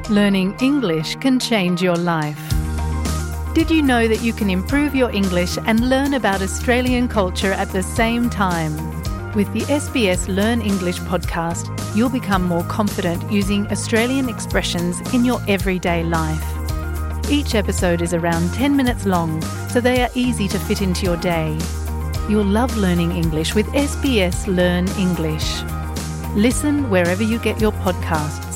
Learning English can change your life. Did you know that you can improve your English and learn about Australian culture at the same time? With the SBS Learn English podcast, you'll become more confident using Australian expressions in your everyday life. Each episode is around 10 minutes long, so they are easy to fit into your day. You'll love learning English with SBS Learn English. Listen wherever you get your podcasts.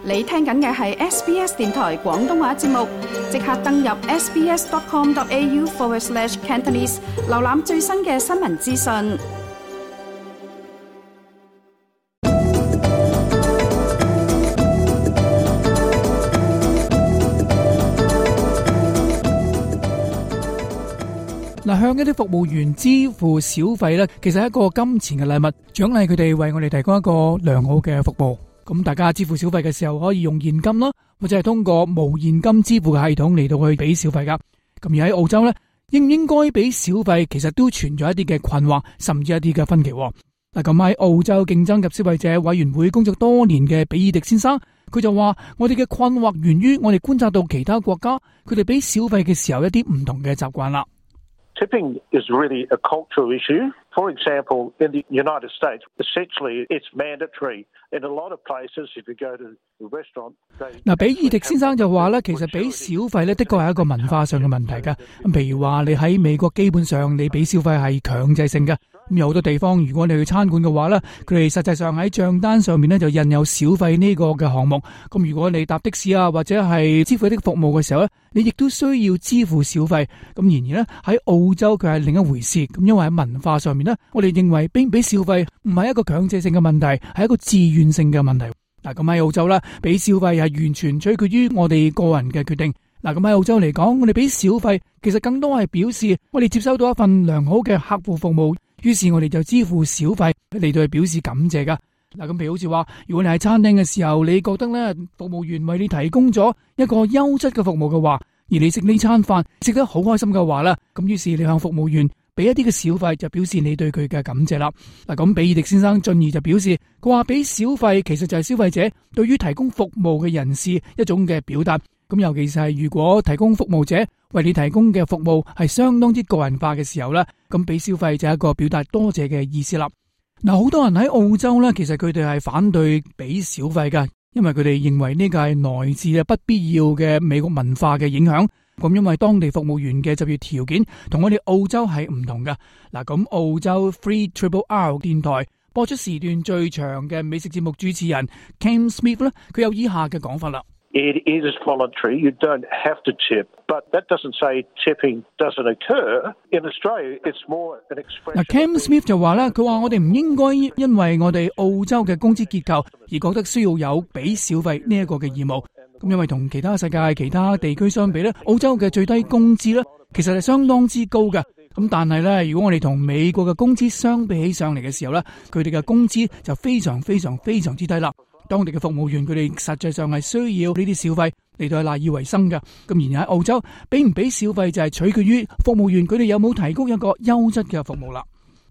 你聽緊嘅係 SBS 電台廣東話節目，即刻登入 sbs.com.au/Cantonese 瀏覽最新嘅新聞資訊。向一啲服務員支付小費咧，其實係一個金錢嘅禮物，獎勵佢哋為我哋提供一個良好嘅服務。咁大家支付小費嘅時候，可以用現金啦，或者係通過無現金支付嘅系統嚟到去俾小費噶。咁而喺澳洲咧，應唔應該俾小費，其實都存在一啲嘅困惑，甚至一啲嘅分歧。嗱，咁喺澳洲競爭及消費者委員會工作多年嘅比爾迪先生，佢就話：我哋嘅困惑源於我哋觀察到其他國家佢哋俾小費嘅時候一啲唔同嘅習慣啦。Tipping is really a cultural issue. For example, in the United States, essentially it's mandatory. In a lot of places, if you go to the restaurant, 嗱，比爾迪先生就話咧，其實俾小費咧，的確係一個文化上嘅問題㗎。咁譬如話，你喺美國基本上你俾小費係強制性嘅。咁有好多地方，如果你去餐館嘅話咧，佢哋實際上喺賬單上面咧就印有小費呢個嘅項目。咁如果你搭的士啊，或者係支付一啲服務嘅時候咧，你亦都需要支付小費。咁然而咧喺澳洲佢係另一回事。咁因為喺文化上面咧，我哋認為俾唔俾小費唔係一個強制性嘅問題，係一個自願性嘅問題。嗱，咁喺澳洲咧，俾小費係完全取決於我哋個人嘅決定。嗱，咁喺澳洲嚟講，我哋俾小費其實更多係表示我哋接收到一份良好嘅客戶服務，於是我哋就支付小費嚟到去表示感謝噶。嗱，咁譬如好似話，如果你喺餐廳嘅時候，你覺得咧服務員為你提供咗一個優質嘅服務嘅話，而你食呢餐飯食得好開心嘅話咧，咁於是你向服務員俾一啲嘅小費，就表示你對佢嘅感謝啦。嗱，咁比爾迪先生進而就表示，佢話俾小費其實就係消費者對於提供服務嘅人士一種嘅表達。咁尤其是係如果提供服務者為你提供嘅服務係相當之個人化嘅時候咧，咁俾小費就係一個表達多謝嘅意思啦。嗱，好多人喺澳洲咧，其實佢哋係反對俾小費噶，因為佢哋認為呢個係來自不必要嘅美國文化嘅影響。咁因為當地服務員嘅就業條件同我哋澳洲係唔同噶。嗱，咁澳洲 3RRR 電台播出時段最長嘅美食節目主持人 Cam Smith 咧，佢有以下嘅講法啦。It is voluntary. You don't have to tip, but that doesn't say tipping doesn't occur. In Australia, it's more an expression. 嗱，Cam Smith 就話啦，佢話我哋唔應該因為我哋澳洲嘅工資結構而覺得需要有俾小費呢一個嘅義務。咁因為同其他世界其他地區相比咧，澳洲嘅最低工資咧其實係相當之高嘅。咁但係咧，如果我哋同美國嘅工資相比起上嚟嘅時候咧，佢哋嘅工資就非常之低啦。當地嘅服務員佢哋實際上係需要呢啲小費嚟到賴以為生嘅。咁而喺澳洲，俾唔俾小費就係取決於服務員佢哋有冇提供一個優質嘅服務啦。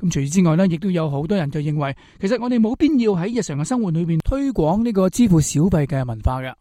咁除此之外呢，亦都有好多人就認為，其實我哋冇必要喺日常嘅生活裏邊推廣呢個支付小費嘅文化嘅。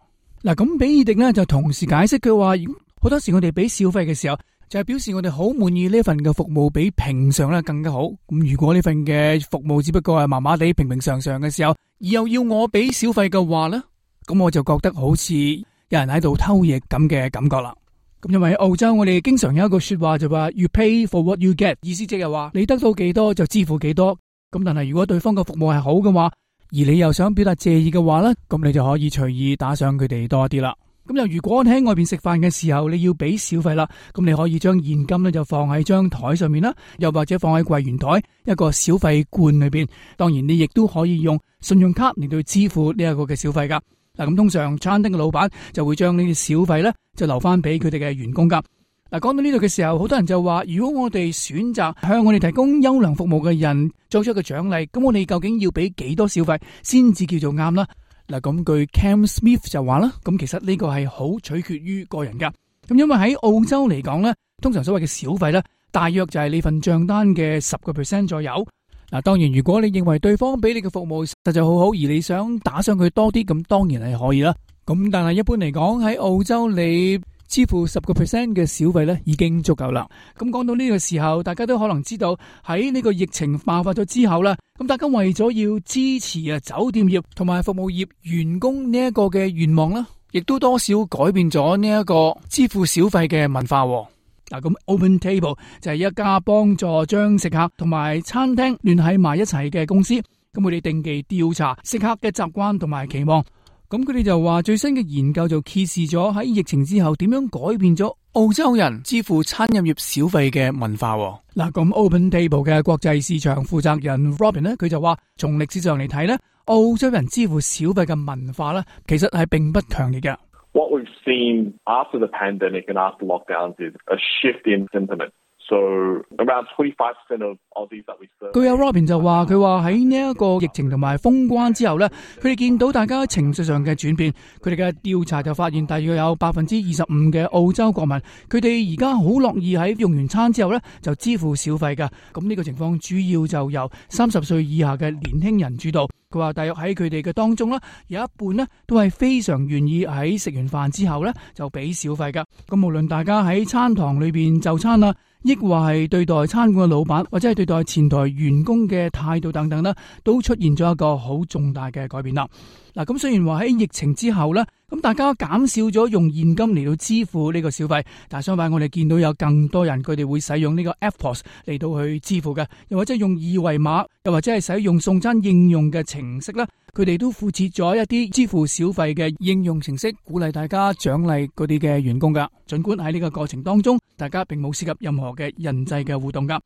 嗱，咁比爾迪呢就同時解釋佢話，好多時我哋俾小費嘅時候，就係表示我哋好滿意呢份嘅服務比平常咧更加好。咁如果呢份嘅服務只不過係麻麻地平常嘅時候，而又要我俾小費嘅話咧，咁我就覺得好似有人喺度偷嘢咁嘅感覺啦。咁因為喺澳洲我哋經常有一個說話就話 You pay for what you get， 意思即係話你得到幾多就支付幾多。咁但係如果對方嘅服務係好嘅話，而你又想表達謝意嘅話咧，咁你就可以隨意打賞佢哋多一啲啦。咁又如果你喺外邊食飯嘅時候你要俾小費啦，咁你可以將現金咧就放喺張台上面啦，又或者放喺櫃員台一個小費罐裏邊。當然你亦都可以用信用卡嚟到支付呢一個嘅小費噶。嗱，咁通常餐廳嘅老闆就會將呢啲小費咧就留翻俾佢哋嘅員工噶。嗱，講到呢度嘅時候，好多人就話，如果我哋選擇向我哋提供優良服務嘅人作出一個獎勵，咁我哋究竟要俾幾多小費先至叫做啱啦？嗱，咁據 Cam Smith 就話啦，咁其實呢個係好取決於個人噶。咁因為喺澳洲嚟講咧，通常所謂嘅小費咧，大約就係你份賬單嘅10% 左右。嗱，當然如果你認為對方俾你嘅服務實在好好，而你想打賞佢多啲，咁當然係可以啦。咁但係一般嚟講喺澳洲，你支付10% 嘅小費咧已經足夠啦。咁講到呢個時候，大家都可能知道喺呢個疫情爆發咗之後啦，咁大家為咗要支持酒店業同埋服務業員工呢一個嘅願望啦，亦都多少改變咗呢一個支付小費嘅文化。嗱，咁 OpenTable 就係一家幫助將食客同埋餐廳聯繫埋一齊嘅公司。咁佢哋定期調查食客嘅習慣同埋期望。咁佢哋就話最新嘅研究就揭示咗喺疫情之後點樣改變咗澳洲人支付餐飲業小費嘅文化。嗱，咁 OpenTable 嘅國際市場負責人 Robin 呢，佢就話從歷史上嚟睇呢，澳洲人支付小費嘅文化呢，其實係並不強烈嘅。What we've seen after the pandemic and after lockdowns is a shift in sentiment. So around 25% of Aussies that we serve. 據有 Robin 就話，佢話喺呢一個疫情同埋封關之後呢，佢哋見到大家情緒上嘅轉變。佢哋嘅調查就發現，大約有25%嘅澳洲國民，佢哋而家好樂意喺用完餐之後呢就支付小費㗎。咁呢個情況主要就由30歲以下嘅年輕人主導。佢話大約喺佢哋嘅當中啦，有一半呢都係非常願意喺食完飯之後呢就俾小費㗎。咁無論大家喺餐堂裏邊就餐啦，抑或係對待餐館嘅老闆，或者係對待前台員工嘅態度等等啦，都出現咗一個好重大嘅改變啦。嗱，咁雖然話喺疫情之後咧，咁大家減少咗用現金嚟到支付呢個小費，但係相反我哋見到有更多人佢哋會使用呢個 EFTPOS 嚟到去支付嘅，又或者用二維碼，又或者係使用送餐應用嘅程式啦，佢哋都附設咗一啲支付小費嘅應用程式，鼓勵大家獎勵嗰啲嘅員工噶。盡管喺呢個過程當中，大家並冇涉及任何嘅人際嘅互動噶。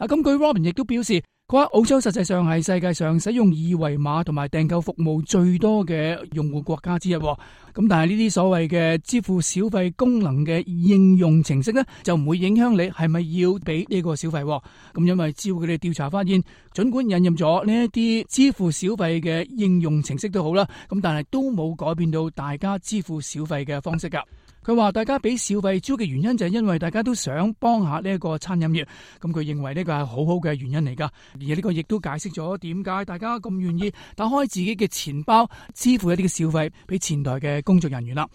咁據 Robin 亦都表示，佢話澳洲實際上係世界上使用二維碼同埋訂購服務最多嘅用戶國家之一。咁但係呢啲所謂嘅支付小費功能嘅應用程式呢，就唔會影響你係咪要俾呢個小費。咁因為照佢哋調查發現，盡管引入咗呢一啲支付小費嘅應用程式都好啦，咁但係都冇改變到大家支付小費嘅方式噶。佢話大家俾小費主要嘅原因就係因為大家都想幫下呢一個餐飲業，咁佢認為呢個係好好嘅原因嚟噶，而呢個亦都解釋咗點解大家咁願意打開自己嘅錢包支付一啲嘅小費俾前台嘅工作人員啦。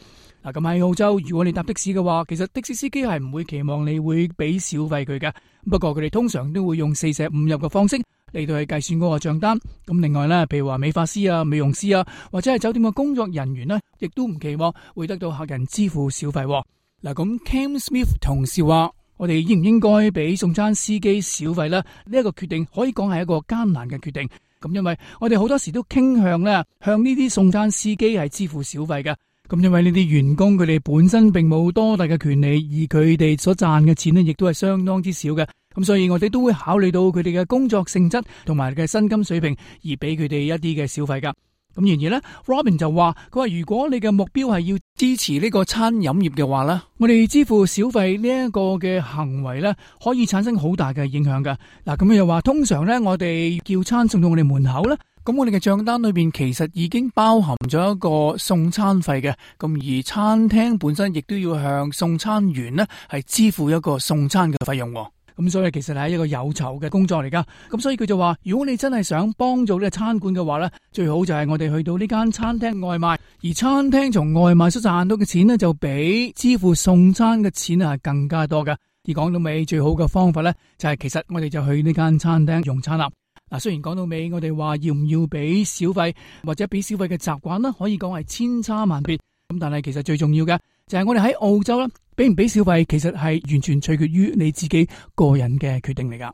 嗱，咁喺澳洲，如果你搭的士嘅話，其實的士司機係唔會期望你會俾小費佢嘅，不過佢哋通常都會用四捨五入嘅方式嚟到去計算嗰個賬單。咁另外咧，譬如話美髮師啊、美容師啊，或者係酒店嘅工作人員呢，亦都唔期望會得到客人支付小費。嗱，咁 Cam Smith 同事話，我哋應唔應該俾送餐司機小費呢？呢一個決定可以講係一個艱難嘅決定。咁因為我哋好多時都傾向咧向呢啲送餐司機係支付小費嘅。咁因為呢啲員工佢哋本身並冇多大嘅權利，而佢哋所賺嘅錢呢，亦都係相當之少嘅。咁所以我哋都會考慮到佢哋嘅工作性質同埋嘅薪金水平，而俾佢哋一啲嘅小費噶。咁然而呢 Robin 就話，佢話如果你嘅目標係要支持呢個餐飲業嘅話呢，我哋支付小費呢一個嘅行為呢，可以產生好大嘅影響噶。嗱，咁又話通常呢，我哋叫餐送到我哋門口呢，咁我哋嘅賬單裏邊其實已經包含咗一個送餐費嘅，咁而餐廳本身亦都要向送餐員呢係支付一個送餐嘅費用。咁所以其實係一個有酬嘅工作嚟噶。咁所以佢就話，如果你真係想幫助呢個餐館嘅話呢，最好就係我哋去到呢間餐廳外賣，而餐廳從外賣所賺到嘅錢呢，就比支付送餐嘅錢係更加多噶。而講到尾，最好嘅方法呢，就係其實我哋就去呢間餐廳用餐啦。嗱，雖然講到尾，我哋話要唔要俾小費或者俾小費嘅習慣呢，可以講係千差萬別。咁但係其實最重要嘅就係我哋喺澳洲啦，俾唔俾小費其實係完全取決於你自己個人嘅決定嚟噶。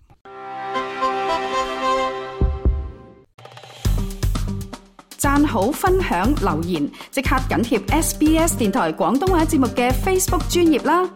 讚好、分享、留言，即刻緊貼SBS 電台廣東話節目嘅 Facebook 專頁啦！